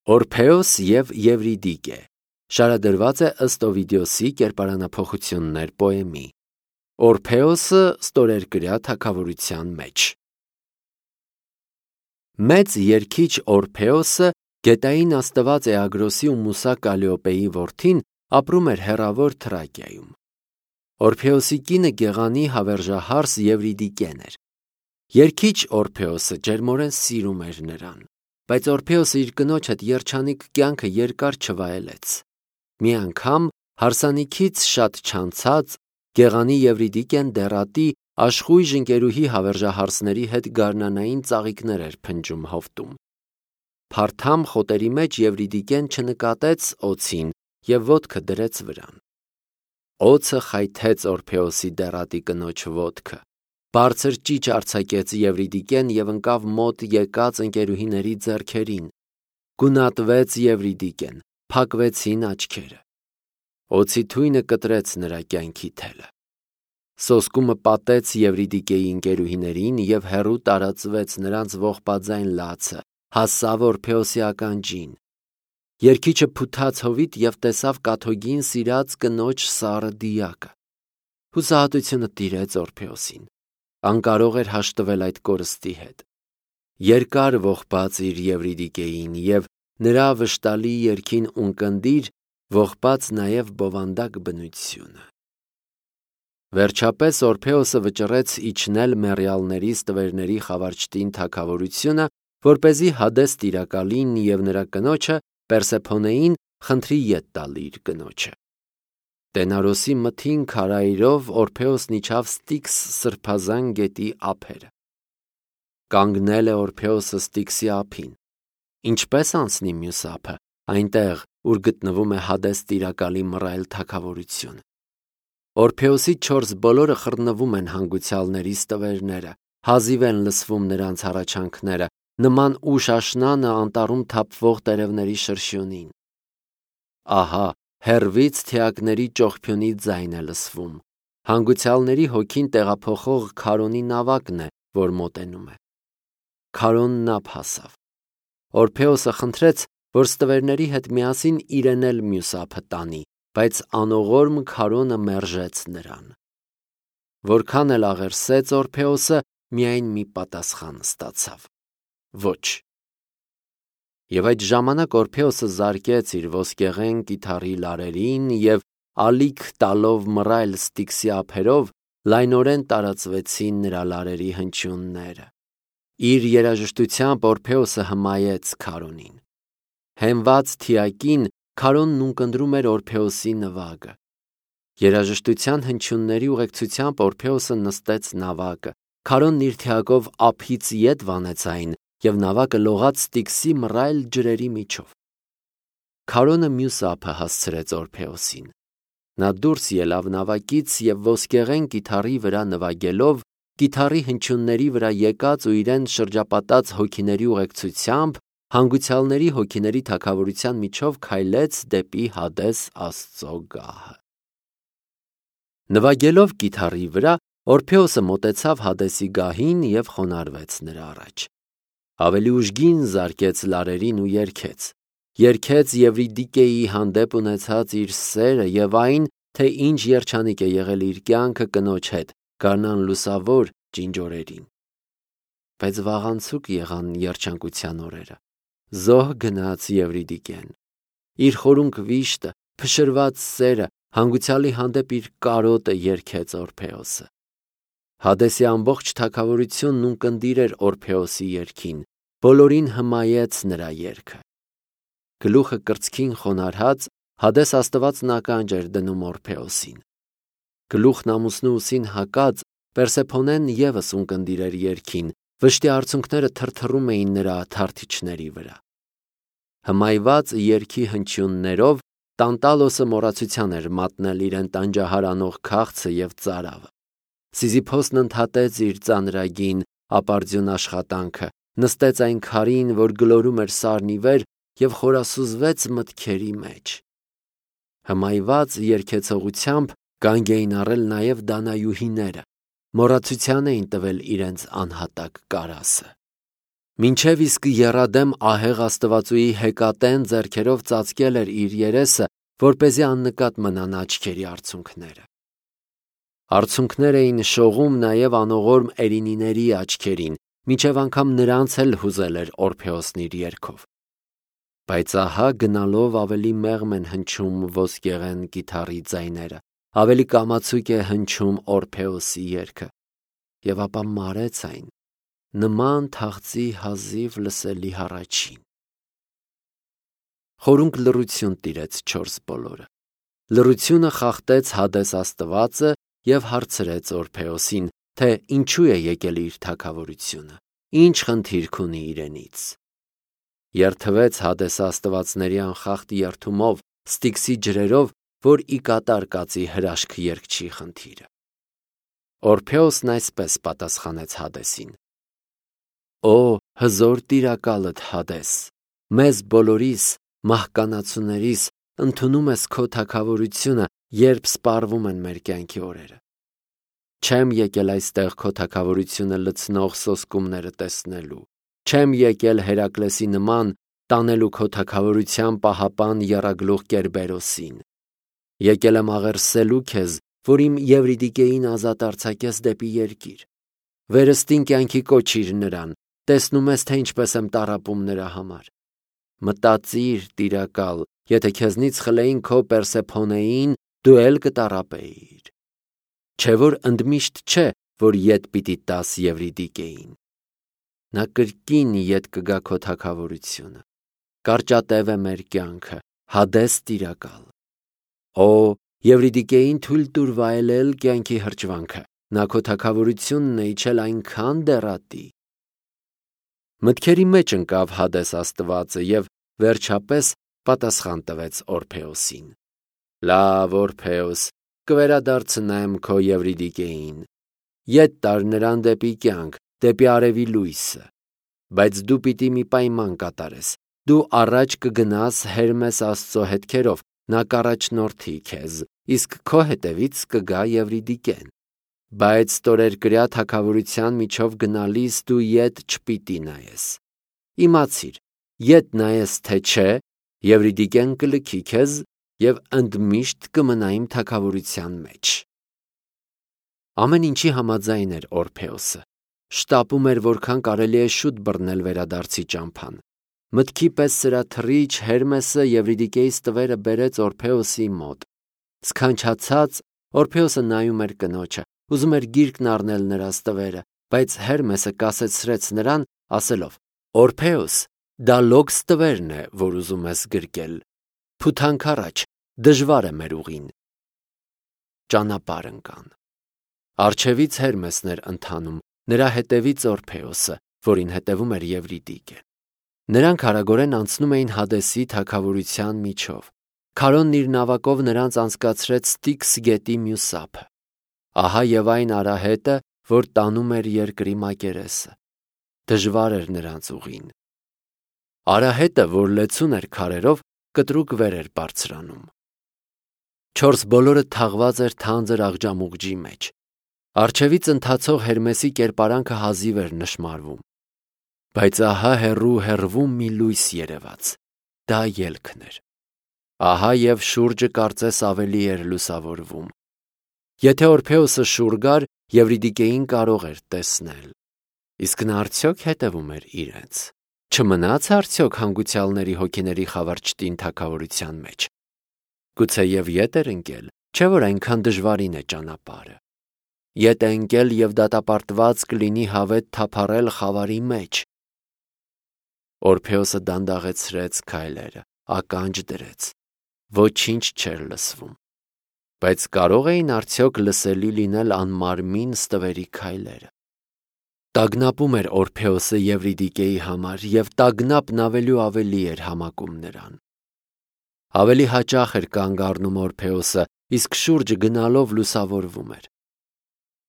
Օրփեոս և Եվրիդիկե շարադրված է ըստ Օվիդիոսի կերպարանափոխություններ պոեմի։ Օրփեոսը ստորերկրյա թագավորության մեջ։ Մեծ երգիչ Օրփեոսը, գետային աստված Էագրոսի ու Մուսա Կալիոպեի որդին, ապրում էր հեռավոր Թրակիայում։ Օրփեոսի կինը Գեղանի հավերժահարս Եվրիդիկեն էր։ Երգիչ Օրփեոսը ջերմորեն սիրում էր նրան, բայց Օրփեոսը իր կնոջ հետ երջանիկ կյանքը երկար չվայելեց։ Մի անգամ հարսանիքից շատ չանցած Գեղանի Եվրիդիկեն դեռատի աշխույժ ընկերուհի հավերժահարսների հետ գարնանային ծաղիկներ էր փնջում հովտում։ Փարթամ խոտերի մեջ Եվրիդիկեն չնկատեց օձին և ոտքը դրեց վրան։ Օձը խայթեց Օրփեոսի դեռատի կնոջ ոտքը։ Բարձր ճիչ արձակեց Եվրիդիկեն և ընկավ մոտ եկած ընկերուհիների ձեռքերին։ Գունատվեց Եվրիդիկեն, փակվեցին աչքերը։ Օձի թույնը կտրեց նրա կյանքի թելը։ Սոսկումը պատեց Եվրիդիկեի ընկերուհիներին և հեռու տարածվեց նրանց ողբաձայն լացը, հասավ Օրփեոսի ականջին։ Երգիչը փութաց հովիտ և տեսավ կաթոգին սիրած կնոջ սառը դիակը։ Հուսահատությունը տիրեց Օրփեոսին։ Անկարող էր հաշտվել այդ կորստի հետ։ Երկար ողբաց իր Եվրիդիկեին և նրա վշտալի երգին ունկնդիր ողբաց նաև բովանդակ բնությունը։ Վերջապես Օրփեոսը վճռեց իջնել մեռյալների ստվերների խավարճտին թագավորությունը, որպեսզի Հադես տիրակալին և նրա կնոջը Պերսեփոնեին խնդրի ետ տալ իր կնոջը։ Տենարոսի մթին քարայրով Օրփեոսն իջավ Ստիքս սրբազան գետի ափերը։ Կանգնել է Օրփեոսը Ստիքսի ափին։ Ինչպե՞ս անցնի մյուս ափը, այնտեղ, ուր գտնվում է Հադես տիրակալի մռայլ թագավորությունը։ Օրփեոսի 4 բոլորը խռնվում են հանգուցյալների ստվերները, հազիվ են լսվում նրանց հառաչանքները, նման ուշ աշնանը անտառում թափվող տերևների շրշյունին։ Ահա, հեռվից թիակների ճողփյունի ձայն է լսվում։ Հանգուցյալների հոգին տեղափոխող Քարոնի նավակն է, որ մոտենում է։ Քարոնն ափ հասավ։ Օրփեոսը խնդրեց, որ ստվերների հետ միասին իրեն էլ մյուս ափը տանի, բայց անողորմ Քարոնը մերժեց նրան։ Որքան էլ աղերսեց Օրփեոսը, միայն մի պատասխան ստացավ. ոչ։ Եվ այդ ժամանակ Օրփեոսը զարկեց իր ոսկեղեն կիթառի լարերին և ալիք տալով մռայլ Ստիքսի ափերով լայնորեն տարածվեցին նրա լարերի հնչյունները։ Իր երաժշտությամբ Օրփեոսը հմայեց Քարոնին։ Հենված թիակին Քարոնն ունկնդրում էր Օրփեոսի նվագը։ Երաժշտության հնչյունների ուղեկցությամբ Օրփեոսը նստեց նավակը։ Քարոնն իր թիակով ափից ետ վանեց այն, և նավակը լողաց Ստիքսի մռայլ ջրերի միջով։ Քարոնը մյուս ափը հասցրեց Օրփեոսին։ Նա դուրս ելավ նավակից և ոսկեղեն կիթառի վրա նվագելով, կիթառի հնչյունների վրա եկած ու իրեն շրջապատած հոգիների ուղեկցությամբ հանգուցյալների հոգիների թագավորության միջով քայլեց դեպի Հադես Աստծո գահը։ Նվագելով կիթառի վրա, Օրփեոսը մոտեցավ Հադեսի գահին և խոնարհվեց նրա առաջ։ Ավելի ուժգին զարկեց լարերին ու երգեց։ Երգեց Եվրիդիկեի հանդեպ ունեցած իր սերը և այն, թե ինչ երջանիկ է եղել իր կյանքը կնոջ հետ գարնան լուսավոր ջինջ օրերին։ Բայց վաղանցուկ եղան երջանկության օրերը։ Զոհ գնաց Եվրիդիկեն։ Իր խորունկ վիշտը, փշրված սերը, հանգուցյալի հանդեպ իր կարոտը երգեց Օրփեոսը։ Հադեսի ամբողջ թագավորությունն ունկնդիր էր Օրփեոսի երգին, բոլորին հմայեց նրա երգը։ Գլուխը կրծքին խոնարհած, Հադես աստվածն ականջ էր դնում Օրփեոսին։ Գլուխն ամուսնու ուսին հակած, Պերսեփոնեն ևս ունկնդիր էր երգին, վշտի արցունքները թրթռում էին նրա թարթիչների վրա։ Հմայված երգի հնչյուններով Տանտալոսը մոռացության էր մատնել իրեն տանջահար անող քաղցը և ծարավը։ Սիզիփոսն ընդհատեց իր ծանրագին ապարդյուն աշխատանքը, նստեց այն քարին, որ գլորում էր սարն ի վեր, և խորասուզվեց մտքերի մեջ։ Հմայված երգեցողությամբ կանգ էին առել նաև դանայուհիները, մոռացության էին տվել իրենց անհատակ կարասը։ Մինչև իսկ եռադեմ ահեղ աստվածուի հեկատեն ձեռքերով ծածկել էր իր երեսը, որպեսզի աննկատ մնան աչքերի արցունքները։ Արցունքներ էին շողում նաև անողորմ Էրինիների աչքերին, մինչև անգամ նրանց էլ հուզել էր Օրփեոսն իր երգով։ Բայց ահա գնալով ավելի մեղմ են հնչում ոսկեղեն կիթառի ձայները, ավելի կամացուկ է հնչում Օրփեոսի երգը, եւ ապա մարեց այն, նման թախծի հազիվ լսելի հառաչին։ Խորունկ լռություն տիրեց չորս բոլորը։ Լռությունը խախտեց Հադես աստվածը եւ հարցրեց Օրփեոսին, թե ինչու է եկել իր թագավորությունը, ինչ խնդիրք ունի իրենից։ Երթվեց Հադես աստվածների անխախտ երթումով, Ստիքսի ջրերով, որ ի կատար կացի հրաշք երգչի խնդիրը։ Օրփեոսն այսպես պատասխանեց Հադեսին. Օ հզոր տիրակալդ Հադես, մեզ բոլորիս, մահկանացուներիս, ընդունում ես քո թագավորությունը, երբ սպառվում են մեր կյանքի օրերը։ Չեմ եկել այստեղ քո թագավորությունը լցնող սոսկումները տեսնելու, չեմ եկել Հերակլեսի նման տանելու քո թագավորության պահապան եռագլուխ Կերբերոսին։ Եկել եմ աղերսելու քեզ, որ իմ Եվրիդիկեին ազատ արձակես դեպի երկիր։ Վերստին կյանքի կոչիր նրան, տեսնում ես, թե ինչպես եմ տառապում նրա համար։ Մտածիր, տիրակալ, եթե քեզնից խլեին քո Պերսեփոնեին, դու էլ կտառապեիր։ Չէ որ ընդմիշտ չէ, որ ետ պիտի տաս Եվրիդիկեին։ Նա կրկին ետ կգա քո թագավորությունը։ Կարճատև է մեր կյանքը, Հադես տիրակալ։ Օ Եվրիդիկեին թույլ տուր վայելել կյանքի հրճվանքը, նա քո թագավորությունն է իջել այնքան դեռատի։ Մտքերի մեջ ընկավ Հադես աստվածը եւ վերջապես պատասխան տվեց Օրփեոսին. Լավ, Օրփեոս, կվերադարձնեմ քո Եվրիդիկեին։ Ետ տար նրան դեպի կյանք, դեպի արևի լույսը։ Բայց դու պիտի մի պայման կատարես։ Դու առաջ կգնաս Հերմես Աստծո հետքերով, նա կառաջնորդի քեզ, իսկ քո հետևից կգա Եվրիդիկեն։ Բայց ստորերկրյա թագավորության միջով գնալիս դու ետ չպիտի նայես։ Իմացիր, ետ նայես թե չէ, Եվրիդիկեն կլքի քեզ եւ ընդմիշտ կմնա իմ թագավորության մեջ։ Ամեն ինչի համաձայն էր Օրփեոսը։ Շտապում էր, որքան կարելի է շուտ բռնել վերադարձի ճամփան։ Մտքի պես սրաթռիչ Հերմեսը Եվրիդիկեի ստվերը բերեց Օրփեոսի մոտ։ Սքանչացած Օրփեոսը նայում էր կնոջը, ուզում էր գիրկն առնել նրա ստվերը, բայց Հերմեսը կասեցրեց նրան, ասելով. Օրփեոս, դա լոկ ստվերն է, որ ուզում ես գրկել։ Փութանք առաջ, դժվար է մեր ուղին։ Ճանապարհ ընկան։ Արջևից Հերմեսն էր ընթանում, նրա հետևից Օրփեոսը, որին հետևում էր Եվրիդիկը։ Նրանք արագորեն անցնում էին Հադեսի թագավորության միջով։ Քարոնն իր նավակով նրանց անցկացրեց Ստիքս գետի մյուս ափը։ Ահա եւ այն արահետը, որ տանում էր երկրի մակերեսը։ Դժվար էր նրանց ուղին։ Արահետը, որ լեցուն էր քարերով, կտրուկ վեր էր բարձրանում։ Չորս բոլորը թաղված էր թանձր աղջամուղջի մեջ։ Արջևից ընթացող Հերմեսի կերպարանքը հազիվ էր նշմարվում։ Բայց ահա հեռվում մի լույս երևաց։ Դա ելքն էր։ Ահա եւ շուրջը կարծես ավելի էր լուսավորվում։ Եթե Օրփեոսը շուռ գար, Եվրիդիկեին կարող էր տեսնել։ Իսկ նա արդյոք հետևում էր իրենց։ Չմնաց արդյոք հանգուցյալների հոգիների խավարճտին թագավորության մեջ։ Գուցեև ետ էր ընկել, չէ որ այնքան դժվարին է ճանապարհը։ Ետ է ընկել եւ դատապարտված կլինի հավետ թափառել խավարի մեջ։ Օրփեոսը դանդաղեցրեց քայլերը, ականջ դրեց։ Ոչինչ չէր լսվում։ Բայց կարող էին արդյոք լսելի լինել անմարմին ստվերի քայլերը։ Տագնապում էր Օրփեոսը Եվրիդիկեի համար եւ տագնապն ավելի ու ավելի էր համակում նրան։ Ավելի հաճախ էր կանգ առնում Օրփեոսը, իսկ շուրջը գնալով լուսավորվում էր։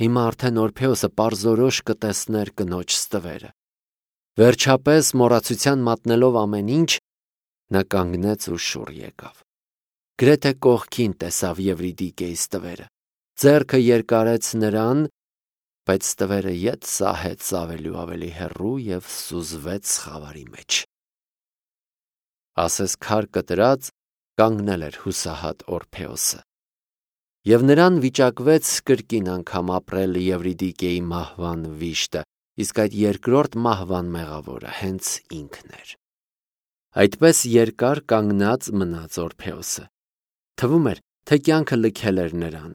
Հիմա արդեն Օրփեոսը պարզորոշ կտեսներ կնոջ ստվերը։ Վերջապես մոռացության մատնելով ամեն ինչ, նա կանգնեց ու շուռ եկավ։ Գրեթե կողքին տեսավ Եվրիդիկեի ստվերը։ Ձեռքը երկարեց նրան բայց ստվերը ետ սահեց ավելի ու ավելի հեռու և սուզվեց խավարի մեջ։ Ասես քար կտրած կանգնել էր հուսահատ Օրփեոսը։ Եվ նրան վիճակվեց կրկին անգամ ապրել Եվրիդիկեի մահվան վիշտը, իսկ այդ երկրորդ մահվան մեղավորը հենց ինքն էր։ Այդպես երկար կանգնած մնաց Օրփեոսը։ Թվում էր, թե կյանքը լքել էր նրան,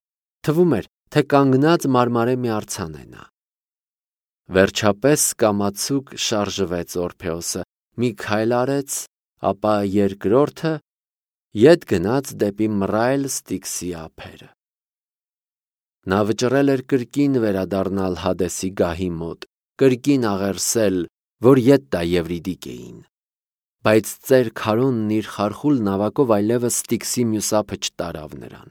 թվում էր, թե կանգնած մարմարե մի արձան է նա։ Վերջապես կամացուկ շարժվեց Օրփեոսը, մի քայլ արեց, ապա երկրորդը ետ գնաց դեպի մռայլ Ստիքսի ափերը։ Նա վճռել էր կրկին վերադառնալ Հադեսի գահի մոտ, կրկին աղերսել, որ ետ տա Եվրիդիկեին։ Բայց ծեր Քարոնն իր խարխուլ նավակով այլևս Ստիքսի մյուս ափը չտարավ նրան։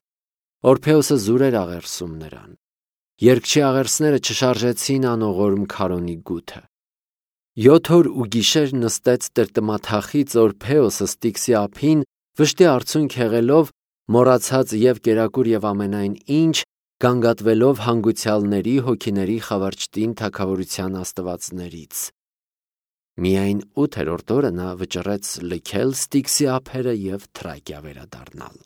Օրփեոսը զուր էր աղերսում նրան։ Երգչի աղերսները չշարժեցին անողորմ Քարոնի գութը։ 7 օր ու գիշեր նստեց տրտմաթախիծ Օրփեոսը Ստիքսի ափին, վշտի արցունք հեղելով, մոռացած և կերակուր և ամենայն ինչ, գանգատվելով հանգուցյալների հոգիների խավարճտին թագավորության աստվածներից։ Միայն 8-րդ օրը նա վճռեց լքել Ստիքսի ափերը և Թրակիա վերադառնալ։